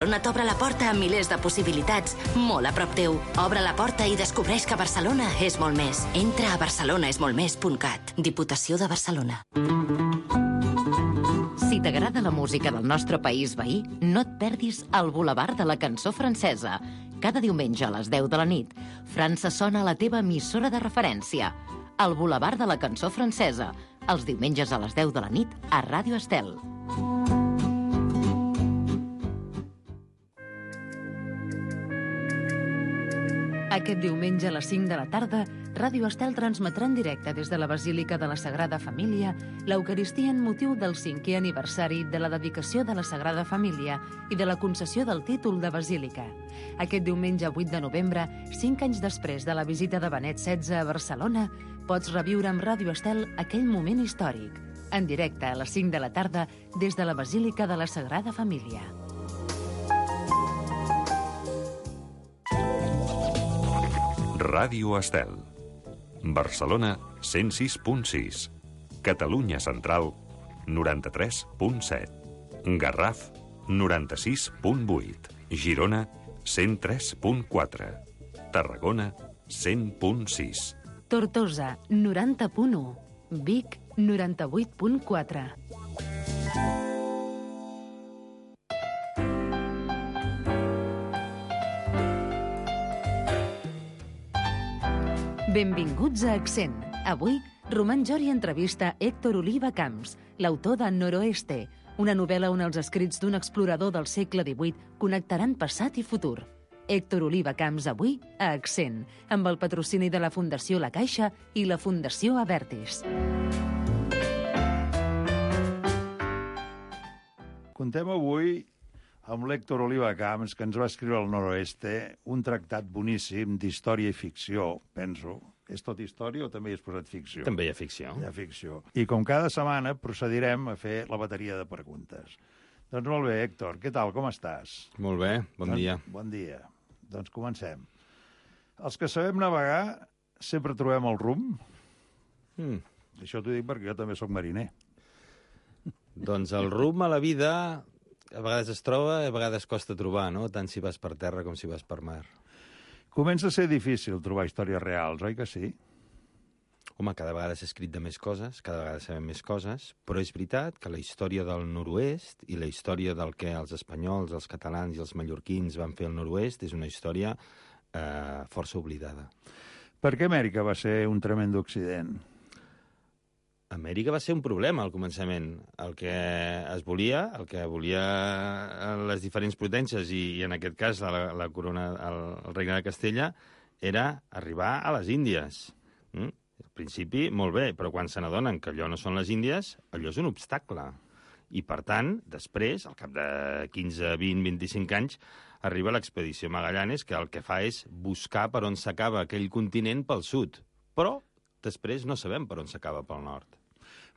Barcelona t'obre la porta a milers de possibilitats, molt a prop teu. Obre la porta i descobreix que Barcelona és molt més. Entra a barcelonaesmoltmés.cat. Diputació de Barcelona. Si t'agrada la música del nostre país veí, no et perdis el Boulevard de la Cançó Francesa. Cada diumenge a les 10 de la nit, França sona a la teva emissora de referència. El Boulevard de la Cançó Francesa. Els diumenges a les 10 de la nit a Ràdio Estel. Aquest diumenge a les 5 de la tarda, Ràdio Estel transmetrà en directe des de la Basílica de la Sagrada Família l'Eucaristia en motiu del 5è aniversari de la dedicació de la Sagrada Família i de la concessió del títol de Basílica. Aquest diumenge 8 de novembre, 5 anys després de la visita de Benet XVI a Barcelona, pots reviure amb Ràdio Estel aquell moment històric. En directe a les 5 de la tarda des de la Basílica de la Sagrada Família. Ràdio Estel. Barcelona 106.6. Catalunya Central 93.7. Garraf 96.8. Girona 103.4. Tarragona 100.6. Tortosa 90.1. Vic 98.4. Benvinguts a Accent. Avui, Roman Jori entrevista Héctor Oliva Camps, l'autor de Noroeste, una novel·la on els escrits d'un explorador del segle XVIII connectaran passat i futur. Héctor Oliva Camps avui a Accent, amb el patrocini de la Fundació La Caixa i la Fundació Avertis. Contem avui amb l'Héctor Oliva Camps, que ens va escriure al Noroeste, un tractat boníssim d'història i ficció, penso. És tot història o també hi has posat ficció? També hi ha ficció. Hi ha ficció. I com cada setmana procedirem a fer la bateria de preguntes. Doncs molt bé, Héctor, què tal, com estàs? Molt bé, bon dia. Bon dia. Doncs comencem. Els que sabem navegar sempre trobem el rumb. Això t'ho dic perquè jo també sóc mariner. Doncs el rumb a la vida a vegades es troba i a vegades costa trobar, no? Tant si vas per terra com si vas per mar. Comença a ser difícil trobar històries reals, oi que sí? Home, cada vegada s'ha escrit de més coses, cada vegada sabem més coses, però és veritat que la història del nord-oest i la història del que els espanyols, els catalans i els mallorquins van fer al nord-oest és una història força oblidada. Per què Amèrica va ser un tremend accident? Amèrica va ser un problema al començament. El que volia les diferents potències, i en aquest cas la corona, el regne de Castella, era arribar a les Índies. Al principi, molt bé, però quan se n'adonen que allò no són les Índies, allò és un obstacle. I, per tant, després, al cap de 15, 20, 25 anys, arriba l'expedició Magallanes, que el que fa és buscar per on s'acaba aquell continent pel sud. Però després no sabem per on s'acaba pel nord.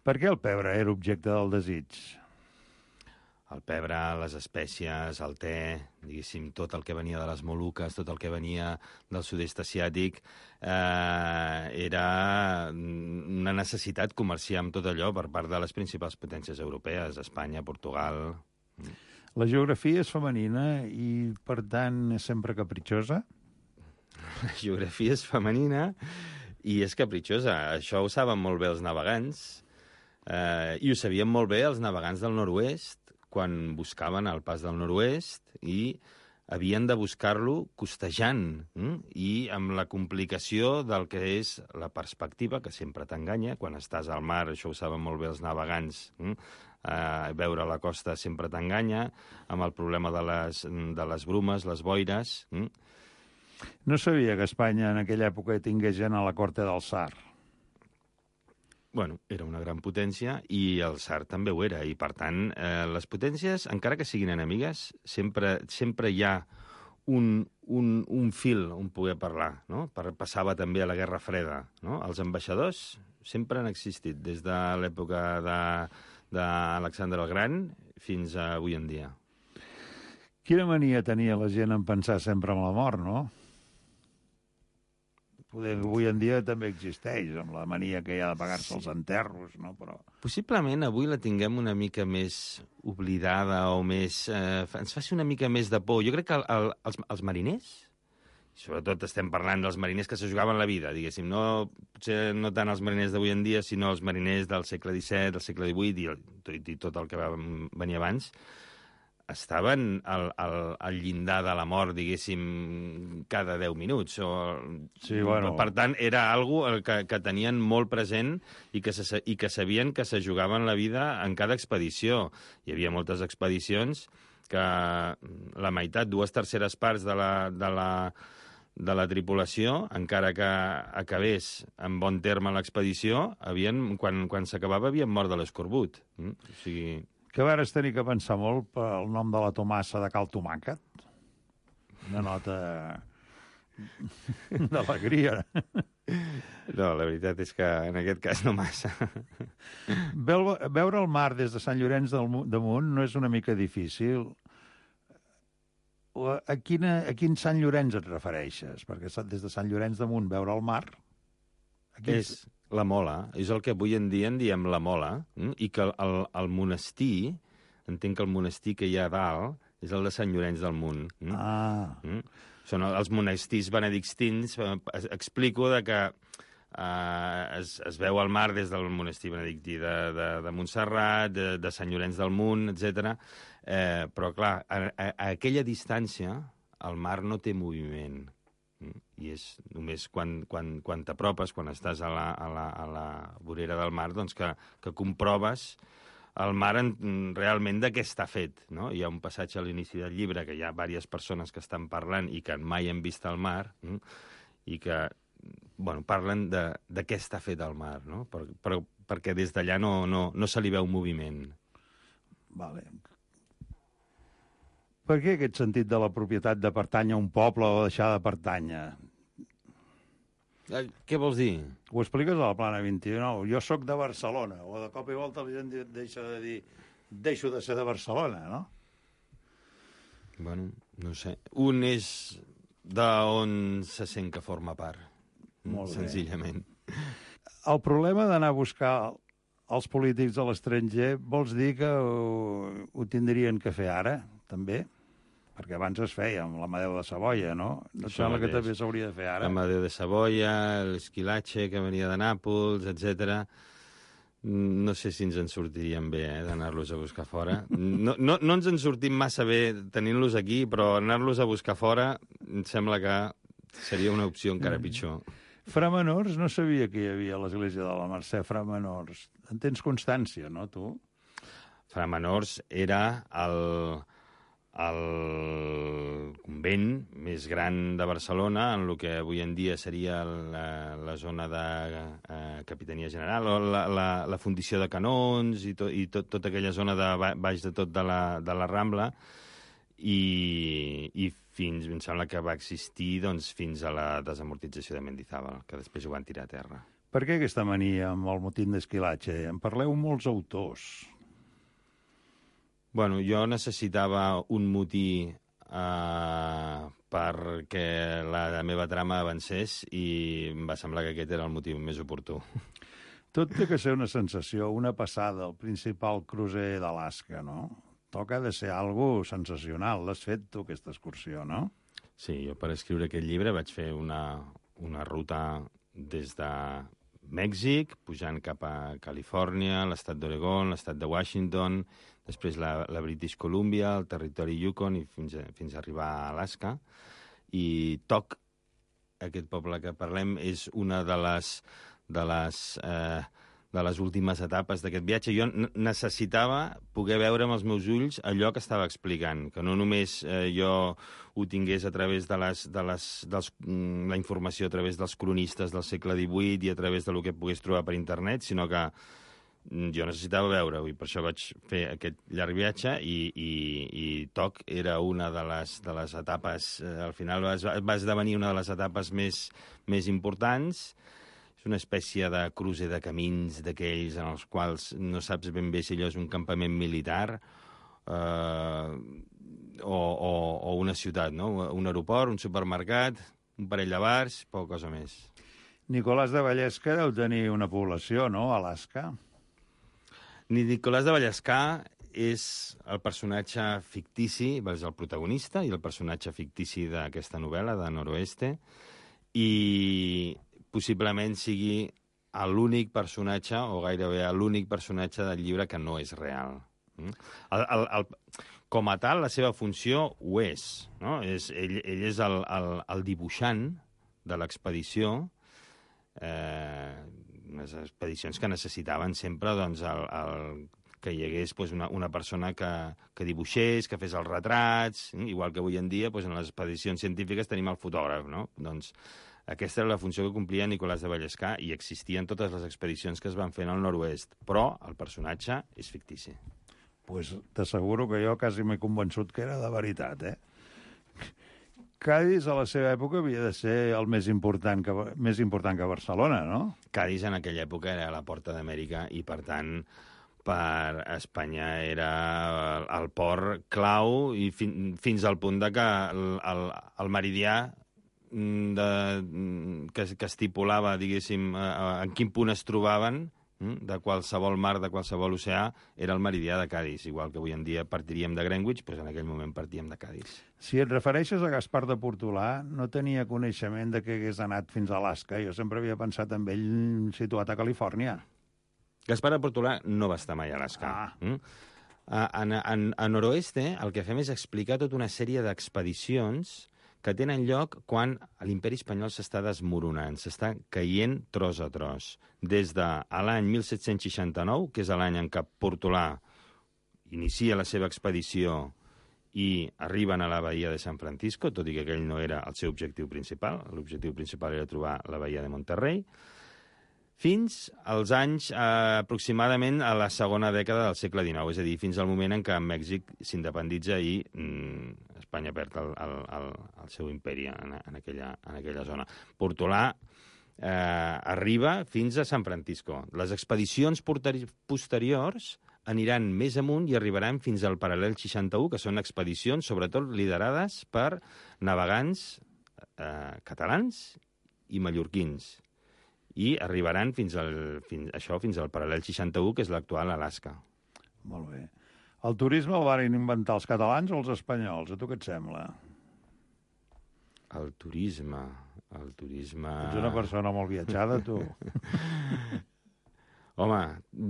Per què el pebre era objecte del desig? El pebre, les espècies, el te, diguéssim, tot el que venia de les Moluques, tot el que venia del sud-est asiàtic, era una necessitat comerciar amb tot allò per part de les principals potències europees, Espanya, Portugal. La geografia és femenina i, per tant, és sempre capritxosa? La geografia és femenina i és capritxosa. Això ho saben molt bé els navegants, i ho sabien molt bé els navegants del nord-oest quan buscaven el pas del nord-oest i havien de buscar-lo costejant i amb la complicació del que és la perspectiva, que sempre t'enganya. Quan estàs al mar, això ho saben molt bé els navegants, veure la costa sempre t'enganya, amb el problema de les brumes, les boires. No sabia que Espanya en aquella època tingués gent a la corte del Tsar. Bueno, era una gran potència i el Tsar també ho era. I, per tant, les potències, encara que siguin enemigues, sempre hi ha un fil on poder parlar, no? Passava també a la Guerra Freda, no? Els ambaixadors sempre han existit, des de l'època d'Alexandre el Gran fins a avui en dia. Quina mania tenia la gent en pensar sempre en la mort, no? Poder avui en dia també existeix, amb la mania que hi ha de pagar-se els enterros, no? Però... Possiblement avui la tinguem una mica més oblidada o més... ens faci una mica més de por. Jo crec que els mariners, sobretot estem parlant dels mariners que se jugaven la vida, diguéssim, potser no tant els mariners d'avui en dia, sinó els mariners del segle XVII, del segle XVIII i tot el que va venir abans, estaven al llindar de la mort, diguéssim, cada 10 minuts. Sí, bueno. Per tant, era algo que tenien molt present i que sabien que se jugaven la vida en cada expedició. Hi havia moltes expedicions que la meitat, 2/3 parts de la tripulació, encara que acabés en bon terme l'expedició, quan s'acabava havien mort de l'escorbut. O sigui... Que a veure, tenir que pensar molt pel nom de la Tomassa de Cal Tomàquet. Una nota d'alegria. No, la veritat és que en aquest cas no massa. Veure el mar des de Sant Llorenç d'Amunt no és una mica difícil. A quin Sant Llorenç et refereixes? Perquè des de Sant Llorenç d'Amunt veure el mar... És la Mola, és el que avui en dia en diem la Mola, i que el monestir, entenc que el monestir que hi ha a dalt és el de Sant Llorenç del Munt. Són els monestirs benedictins, explico que es veu el mar des del monestir benedictí de Montserrat, de Sant Llorenç del Munt, etc. Però, clar, a aquella distància el mar no té moviment. I és només quan t'apropes, quan estàs a la vorera del mar, doncs que comproves el mar realment de què està fet. No? Hi ha un passatge a l'inici del llibre que hi ha diverses persones que estan parlant i que mai han vist el mar i que parlen de què està fet el mar, no? Perquè des d'allà no se li veu moviment. Vale. Per què aquest sentit de la propietat de pertànyer a un poble o deixar de pertànyer? Què vols dir? Ho expliques a la Plana 29. Jo sóc de Barcelona, o de cop i volta la gent deixa de dir deixo de ser de Barcelona, no? Bueno, no sé. Un és d'on se sent que forma part. Molt bé. Senzillament. El problema d'anar a buscar els polítics a l'estranger vols dir que ho tindrien que fer ara, també? Perquè abans es feia amb l'Amadeu de Savoia, no? Et sembla que també s'hauria de fer ara? L'Amadeu de Savoia, l'Esquilache, que venia de Nàpols, etc. No sé si ens en sortiríem bé, d'anar-los a buscar fora. No ens en sortim massa bé tenint-los aquí, però anar-los a buscar fora em sembla que seria una opció encara pitjor. Framenors, no sabia que hi havia a l'església de la Mercè Framenors. En tens constància, no, tu? Framenors era el convent més gran de Barcelona, en el que avui en dia seria la zona de Capitania General, o la fundició de canons i tota aquella zona de baix de tot de la Rambla, i fins, em sembla que va existir fins a la desamortització de Mendizábal, que després ho van tirar a terra. Per què aquesta mania amb el motín d'Esquilache? En parleu molts autors. Bueno, jo necessitava un motí perquè la meva trama avancés i em va semblar que aquest era el motiu més oportú. Tot té que ser una sensació, una passada, el principal crucer d'Alaska, no? Toca de ser algo sensacional. L'has fet tu, aquesta excursió, no? Sí, jo per escriure aquest llibre vaig fer una ruta des de Mèxic, pujant cap a Califòrnia, l'estat d'Oregon, l'estat de Washington, després la British Columbia, el territori Yukon i fins a arribar a Alaska. I Tok, aquest poble que parlem, és una de les últimes etapes d'aquest viatge. Jo necessitava poder veure amb els meus ulls allò que estava explicant, que no només jo ho tingués a través de la informació a través dels cronistes del segle XVIII i a través del que pogués trobar per internet, sinó que jo necessitava veure-ho, i per això vaig fer aquest llarg viatge, i Tok era una de les etapes, al final va esdevenir una de les etapes més importants. És una espècie de cruce de camins d'aquells en els quals no saps ben bé si allò és un campament militar o una ciutat, no? Un aeroport, un supermercat, un parell de bars, poca cosa més. Nicolàs de Vallesca deu tenir una població, no?, a Alaska. Nicolàs de Vallescà és el personatge fictici, és el protagonista i el personatge fictici d'aquesta novel·la, de Noroeste, i possiblement sigui l'únic personatge, o gairebé l'únic personatge del llibre que no és real. Com a tal, la seva funció ho és. No? Ell és el dibuixant de l'expedició, unes expedicions que necessitaven sempre doncs, que hi hagués una persona que dibuixés, que fes els retrats, igual que avui en dia en les expedicions científiques tenim el fotògraf. No? Doncs aquesta era la funció que complia Nicolàs de Vallescà i existien totes les expedicions que es van fer al nord-oest, però el personatge és fictici. Pues t'asseguro que jo quasi m'he convençut que era de veritat, Cádiz, a la seva època, havia de ser el més important que Barcelona, no? Cádiz en aquella època era la porta d'Amèrica i, per tant, per Espanya era el port clau i fins al punt de que el meridià que estipulava, diguéssim, en quin punt es trobaven de qualsevol mar, de qualsevol oceà, era el meridià de Cádiz. Igual que avui en dia partiríem de Greenwich, doncs en aquell moment partíem de Cádiz. Si et refereixes a Gaspar de Portolà, no tenia coneixement de que hagués anat fins a Alaska. Jo sempre havia pensat en ell situat a Califòrnia. Gaspar de Portolà no va estar mai a Alaska. A Noroeste el que fem és explicar tota una sèrie d'expedicions que tenen lloc quan l'imperi espanyol s'està desmoronant, s'està caient tros a tros. Des de l'any 1769, que és l'any en què Portolà inicia la seva expedició i arriben a la bahia de San Francisco, tot i que aquell no era el seu objectiu principal. L'objectiu principal era trobar la bahia de Monterrey, fins als anys aproximadament a la segona dècada del segle XIX, és a dir, fins al moment en què Mèxic s'independitza i Espanya perd el seu imperi en aquella zona. Portolà arriba fins a San Francisco. Les expedicions posteriors aniran més amunt i arribaran fins al paral·lel 61, que són expedicions sobretot liderades per navegants catalans i mallorquins. I arribaran fins al paral·lel 61, que és l'actual Alaska. Molt bé. El turisme el van inventar els catalans o els espanyols? A tu què et sembla? El turisme... Ets una persona molt viatjada, tu. Home,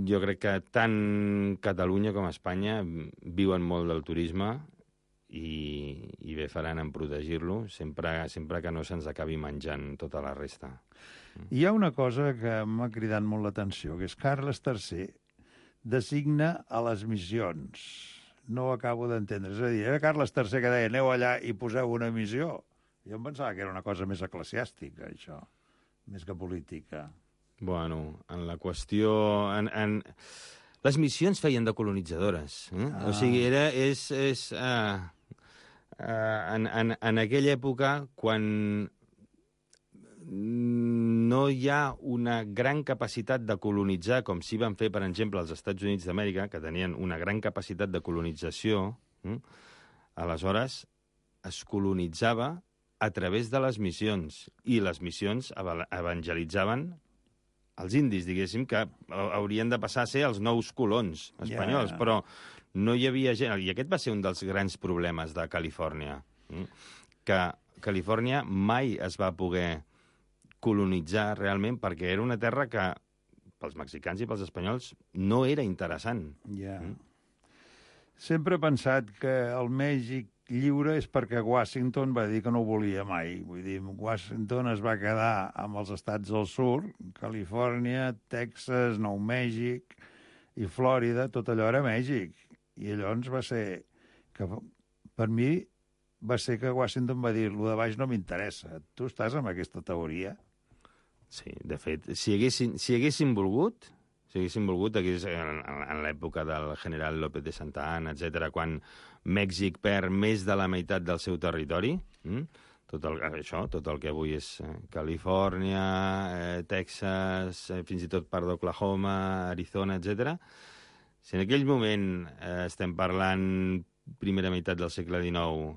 jo crec que tant Catalunya com Espanya viuen molt del turisme i bé faran en protegir-lo sempre que no se'ns acabi menjant tota la resta. Hi ha una cosa que m'ha cridat molt l'atenció, que és Carles III designa a les missions. No ho acabo d'entendre. És a dir, era Carles III que deia aneu allà i poseu una missió. Jo em pensava que era una cosa més eclesiàstica, això, més que política. Bueno, en la qüestió... Les missions feien de colonitzadores. O sigui, en aquella època, quan no hi ha una gran capacitat de colonitzar, com s'hi van fer, per exemple, als Estats Units d'Amèrica, que tenien una gran capacitat de colonització, aleshores es colonitzava a través de les missions, i les missions evangelitzaven els indis, diguéssim, que haurien de passar a ser els nous colons espanyols, però no hi havia gent... I aquest va ser un dels grans problemes de Califòrnia, que Califòrnia mai es va poder colonitzar realment perquè era una terra que pels mexicans i pels espanyols no era interessant. Sempre he pensat que el Mèxic lliure és perquè Washington va dir que no ho volia mai. Vull dir, Washington es va quedar amb els estats del sud, Califòrnia, Texas, Nou Mèxic i Flòrida, tot allò era Mèxic. I llavors va ser que, per mi, va ser que Washington va dir lo de baix no m'interessa. Tu estàs amb aquesta teoria? Sí, de fet, si haguessin volgut, en l'època del general López de Santa Anna, etc., quan Mèxic perd més de la meitat del seu territori, tot el que avui és Califòrnia, Texas, fins i tot part d'Oklahoma, Arizona, etc., si en aquell moment estem parlant primera meitat del segle XIX,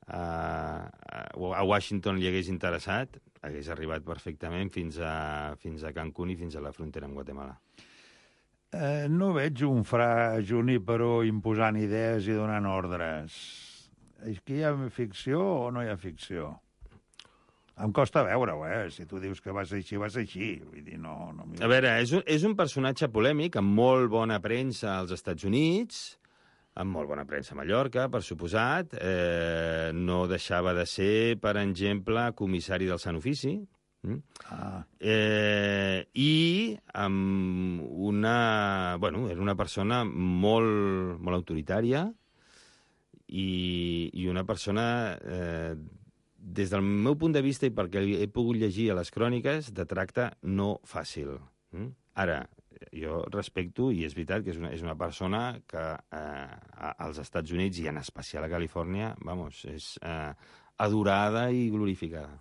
a Washington li hagués interessat, hagués arribat perfectament fins a Cancún i fins a la frontera amb Guatemala. No veig un fra Junípero imposant idees i donant ordres. És que hi ha ficció o no hi ha ficció? Em costa veure-ho, Si tu dius que va ser així, va ser així. Vull dir, no... A veure, és un personatge polèmic, amb molt bona premsa als Estats Units, amb molt bona premsa a Mallorca, per suposat. No deixava de ser, per exemple, comissari del Sant Ofici. I amb una... Bueno, era una persona molt autoritària i una persona... des del meu punt de vista i perquè he pogut llegir a les cròniques, de tracte no fàcil. Ara, jo respecto, i és veritat que és una persona que als Estats Units, i en especial a Califòrnia, és adorada i glorificada.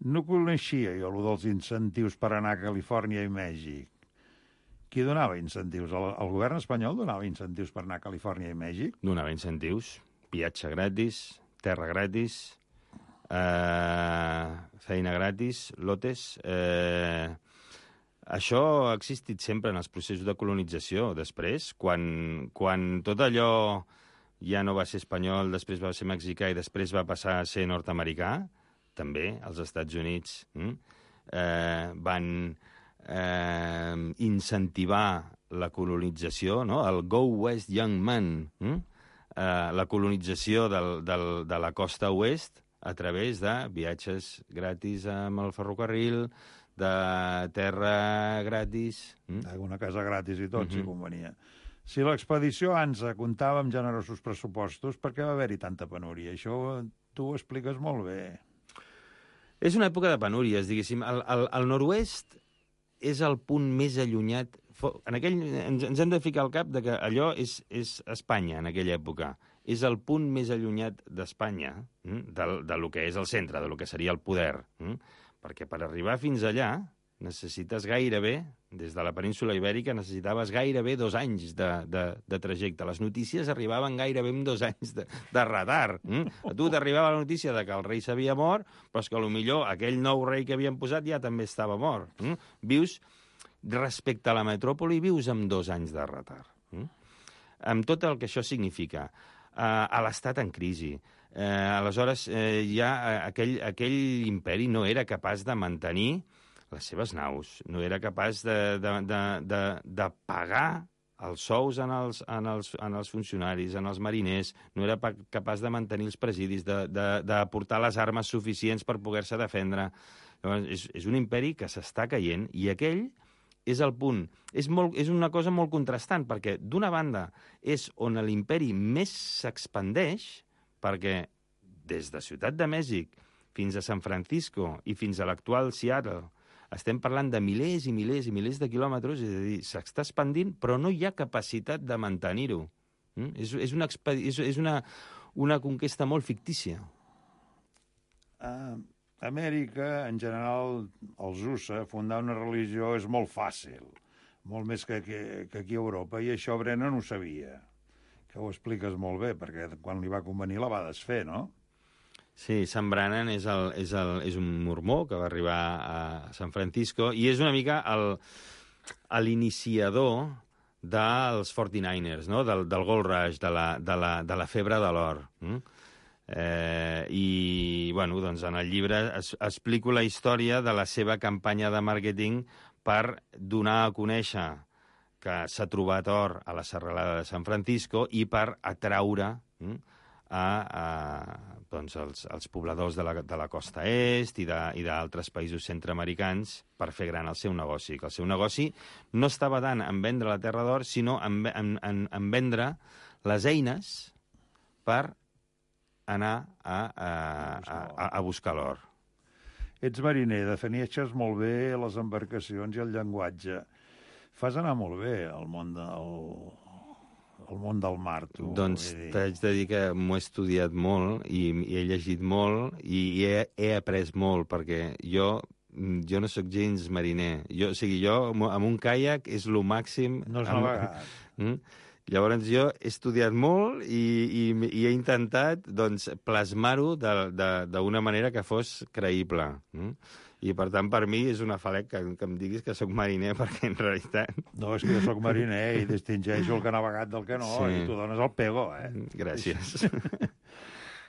No coneixia jo allò dels incentius per anar a Califòrnia i Mèxic. Qui donava incentius? El govern espanyol donava incentius per anar a Califòrnia i Mèxic? Donava incentius, viatge gratis, terra gratis, feina gratis, lotes. Això ha existit sempre en els processos de colonització. Després, quan tot allò ja no va ser espanyol, després va ser mexicà i després va passar a ser nord-americà, també els Estats Units van incentivar la colonització, no? El Go West Young Man, la colonització de la costa oest a través de viatges gratis amb el ferrocarril, de terra gratis. Una casa gratis i tot, si convenia. Si l'expedició ANZA comptava amb generosos pressupostos, per què va haver-hi tanta penúria? Això tu ho expliques molt bé. És una època de penúries, diguéssim. El nord-oest és el punt més allunyat. Ens hem de ficar al cap de que allò és Espanya en aquella època. És el punt més allunyat d'Espanya, del que és el centre, del que seria el poder. Perquè per arribar fins allà necessites gairebé, des de la península Ibèrica, necessitaves gairebé 2 anys de trajecte. Les notícies arribaven gairebé amb 2 anys de retard. A tu t'arribava la notícia de que el rei s'havia mort, però és que potser aquell nou rei que havien posat ja també estava mort. Vius, respecte a la metròpoli, vius amb 2 anys de retard. Amb tot el que això significa. A l'estat en crisi. Aleshores, ja aquell imperi no era capaç de mantenir les seves naus, no era capaç de pagar els sous en els funcionaris, en els mariners, no era capaç de mantenir els presidis, d'aportar les armes suficients per poder-se defendre. Llavors, és un imperi que s'està caient i aquell és el punt. És una cosa molt contrastant, perquè d'una banda és on l'imperi més s'expandeix, perquè des de Ciutat de Mèxic fins a San Francisco i fins a l'actual Seattle estem parlant de milers i milers i milers de quilòmetres, és a dir, s'està expandint, però no hi ha capacitat de mantenir-ho. És una conquesta molt fictícia. Amèrica, en general, els USA, fundar una religió és molt fàcil, molt més que aquí a Europa, i això Brennan ho sabia, que ho expliques molt bé, perquè quan li va convenir la va desfer, no? Sí, Sam Brannan és un mormó que va arribar a San Francisco i és una mica l'iniciador dels 49ers, no? Del Gold Rush, de la febre de l'or. I, bueno, doncs en el llibre explico la història de la seva campanya de màrqueting per donar a conèixer que s'ha trobat or a la serralada de San Francisco i per atraure doncs els pobladors de la costa est i d'altres països centreamericans per fer gran el seu negoci. Que el seu negoci no estava tant en vendre la terra d'or, sinó en vendre les eines per anar a buscar l'or. Ets mariner, defineixes molt bé les embarcacions i el llenguatge. Fas anar molt bé el món del mar, tu. Doncs t'haig de dir que m'ho he estudiat molt i he llegit molt i he après molt, perquè jo no sóc gens mariner. Jo amb un caiac és lo màxim... No és navegat. Llavors jo he estudiat molt i he intentat doncs, plasmar-ho d'una manera que fos creïble. I, per tant, per mi és un afalec que em diguis que sóc mariner, perquè en realitat... No, és que jo sóc mariner i distingeixo el que ha navegat del que no, sí. I tu dones el pego, Gràcies.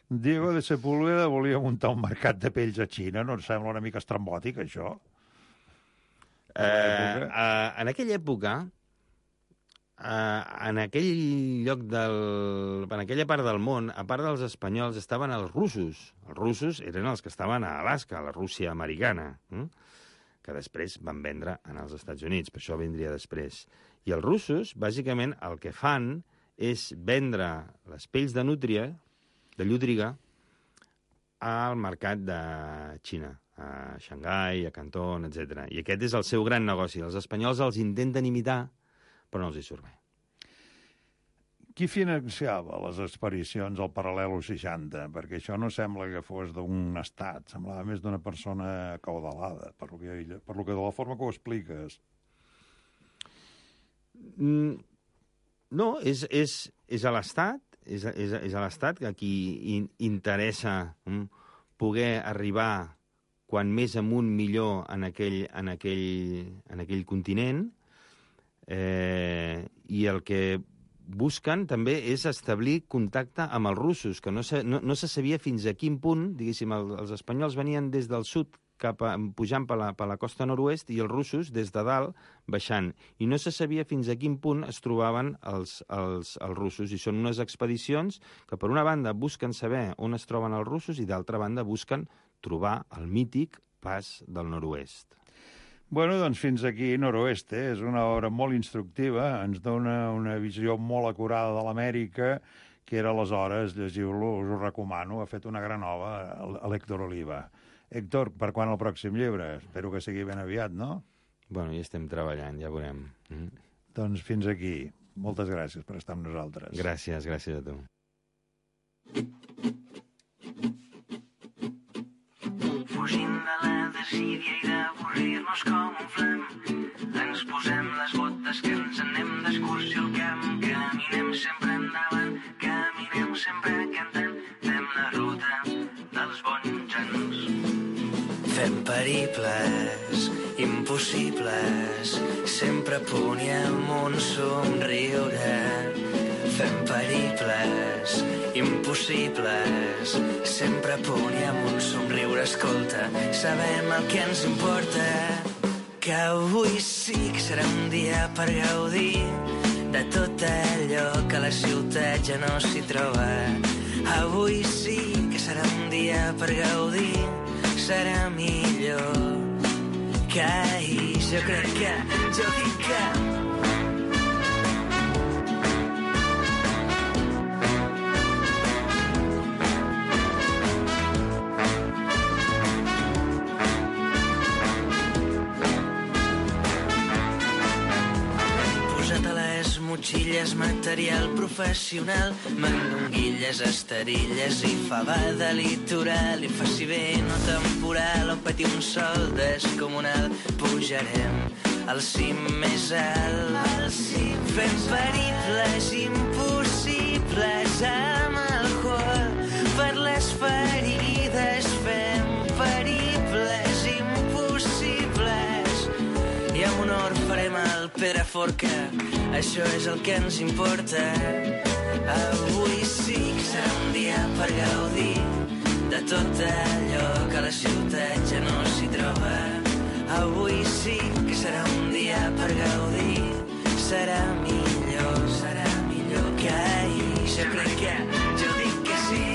Diego de Sepúlveda volia muntar un mercat de pells a Xina. No et sembla una mica estrambòtic, això? En aquella època, en aquell lloc en aquella part del món, a part dels espanyols, estaven els russos. Els russos eren els que estaven a Alaska, a la Rússia americana, que després van vendre als Estats Units, per això vindria després. I els russos, bàsicament, el que fan és vendre les pells de nútria, de llúdriga, al mercat de Xina, a Xangai, a Canton, etc. I aquest és el seu gran negoci. Els espanyols els intenten imitar, però no els hi surt bé. Qui financiava les expedicions al Paral·lelo 60? Perquè això no sembla que fos d'un estat, semblava més d'una persona caudalada, per lo que de la forma que ho expliques. No, és a l'Estat, és a l'Estat que qui interessa poder arribar quan més amunt millor en aquell continent, i el que busquen també és establir contacte amb els russos, que no se sabia fins a quin punt, diguéssim, els espanyols venien des del sud pujant per la costa nord-oest i els russos des de dalt baixant. I no se sabia fins a quin punt es trobaven els russos. I són unes expedicions que, per una banda, busquen saber on es troben els russos i, d'altra banda, busquen trobar el mític pas del nord-oest. Bueno, doncs fins aquí Noroeste. És una obra molt instructiva, ens dona una visió molt acurada de l'Amèrica, que era aleshores, llegiu-lo, us ho recomano, ha fet una gran obra l'Héctor Oliva. Héctor, per quan el pròxim llibre? Espero que sigui ben aviat, no? Bueno, ja estem treballant, ja veurem. Doncs fins aquí. Moltes gràcies per estar amb nosaltres. Gràcies a tu. Fugint de la desídia i d'avorrir-nos com un flam, ens posem les botes que ens anem d'excursió al camp. Caminem sempre endavant, caminem sempre cantant, fem la ruta dels bons anys. Fem periples impossibles, sempre a punt i amb un somriure. Fem periples impossibles, sempre a punt i amb un somriure. Escolta, sabem el que ens importa, que avui sí que serà un dia per gaudir de tot allò que a la ciutat ja no s'hi troba. Avui sí que serà un dia per gaudir, serà millor que ahir. Jo crec que, jo dic que... motxilles, material professional, mandonguilles, esterilles i fava litoral, i faci vent o temporal o peti un sol descomunal. Pujarem al cim més alt, fem periples impossibles amb alcohol per les ferides. Fem periples impossibles i amb honor farem el Pedraforca. Això és el que ens importa. Avui sí que serà un dia per gaudir de tot allò que a la ciutat ja no s'hi troba. Avui sí que serà un dia per gaudir, serà millor que ahir. Jo crec que, jo dic que sí.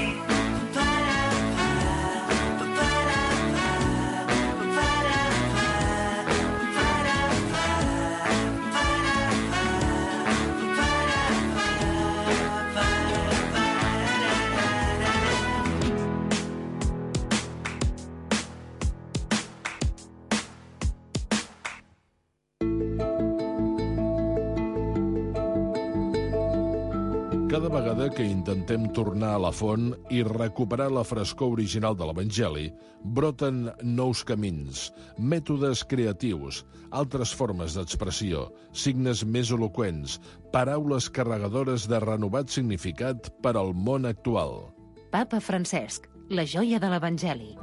Cada vegada que intentem tornar a la font i recuperar la frescor original de l'Evangeli, broten nous camins, mètodes creatius, altres formes d'expressió, signes més eloqüents, paraules carregadores de renovat significat per al món actual. Papa Francesc, la joia de l'Evangeli.